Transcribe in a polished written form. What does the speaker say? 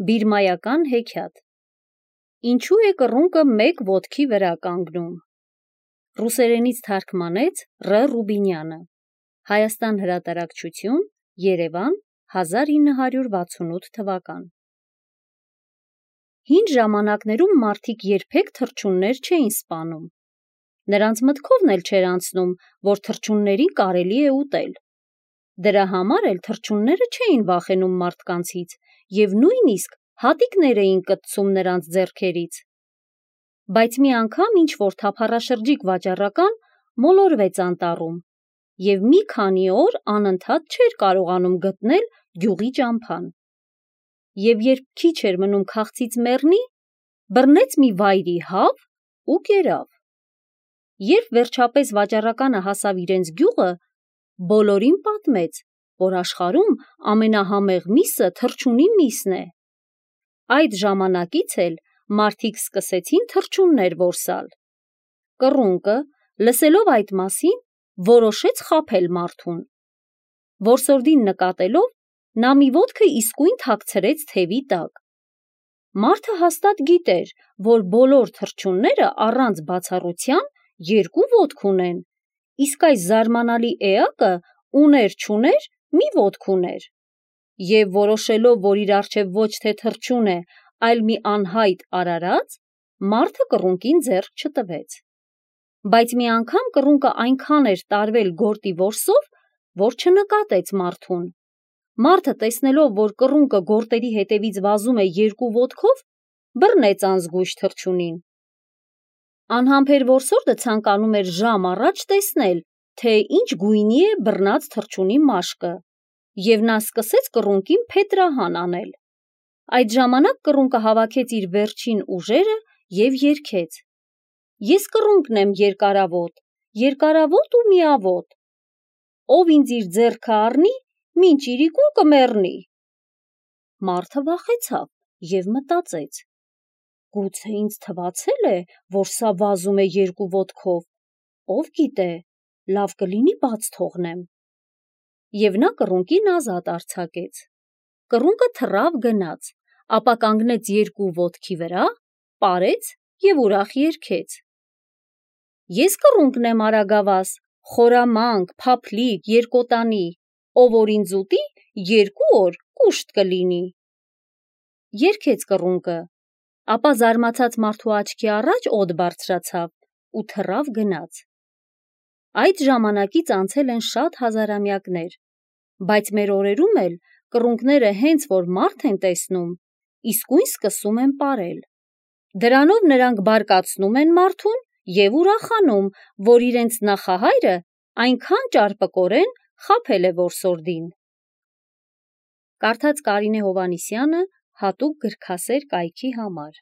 Բիրմայական հեքիաթ։ Ինչու է կռունկը մեկ ոտքի վրա կանգնում։ Ռուսերենից թարգմանեց Ռ. Ռուբինյանը։ Հայաստան հրատարակչություն, Երևան, 1968 թվական։ Հին ժամանակներում մարդիկ երբեք թռչուններ չէին սպանում։ Նրանց մտքովն էլ չէր անցնում, որ թռչուններին կարելի է ուտել։ Դրա համար էլ թռչունները չէին վախենում մարդկանցից և նույնիսկ հատիկներ էին կտցում նրանց ձեռքերից։ Բայց մի անգամ ինչ-որ թափառաշրջիկ վաճառական մոլորվեց անտառում և մի քանի օր անընդհատ չէր կարողանում գտնել գյուղի ճամփան։ Եվ երբ քիչ էր մնում քաղցից մեռնի, բռնեց մի վայրի հավ ու կերավ։ Երբ վերջապես վաճառականը հասավ իրենց գյուղը, բոլորին պատմեց, որ աշխարհում ամենահամեղ միսը թռչունի միսն է։ Այդ ժամանակից էլ մարդիկ սկսեցին թռչուններ որսալ։ Կռունկը, լսելով այդ մասին, որոշեց խաբել մարդուն։ Որսորդին նկատելով, նա մի ոտքը իսկույն թաքցրեց թևի տակ։ Մարդը հաստատ գիտեր, որ բոլոր թռչունները առանց բացառության երկու ոտք ունեն, իսկ այս զարմանալի էակը ուներ-չուներ մի ոտք ուներ։ Եվ որոշելով, որ իր առջև ոչ թե թռչուն է, այլ մի անհայտ արարած, մարդը կռունկին ձեռք չտվեց։ Բայց մի անգամ կռունկը այնքան էր տարվել գորտի որսով, որ չնկատեց մարդուն։ Մարդը, տեսնելով, որ կռունկը գորտերի հետևից վազում է երկու ոտքով, բռնեց անզգույշ թռչունին։ Անհամբեր որսորդը ցանկանում էր ժամ առաջ տեսնել, թե ինչ գույնի է բռնած թռչունի մաշկը, և նա սկսեց կռունկին փետրահան անել։ Այդ ժամանակ կռունկը հավաքեց իր վերջին ուժերը և երգեց. «Ես կռունկն եմ երկարավոտ, երկարավոտ ու միավոտ, ով ինձ իր ձեռքը առնի, մինչ իրիկուն կմեռնի»։ Մարդը վախեցավ և մտածեց. «Գուցե ինձ թվացել է, որ սա վազում է երկու ոտքով, ով գիտե, լավ կլինի բաց թողնեմ»։ Եվ նա կռունկին ազատ արձակեց։ Կռունկը թռավ գնաց, ապա կանգնեց երկու ոտքի վրա, պարեց և ուրախ երգեց. «Ես կռունկն եմ արագավազ, խորամանկ, փափլիկ, երկոտանի, ով որ ինձ ուտի, 2 օր կուշտ կլինի»։ Երգեց կռունկը, ապա զարմացած մարդու աչքի առաջ օդ բարձրացավ ու թռավ գնաց։ Այդ ժամանակից անցել են շատ հազարամյակներ, բայց մեր օրերում էլ կռունկները հենց որ մարդ են տեսնում, իսկույն սկսում են պարել։ Դրանով նրանք բարկացնում են մարդուն և ուրախանում, որ իրենց նախահայրը այնքան ճարպկորեն խաբել է որսորդին։ Կարդաց Կարինե Հովհաննիսյանը հատուկ գրքասեր կայքի համար։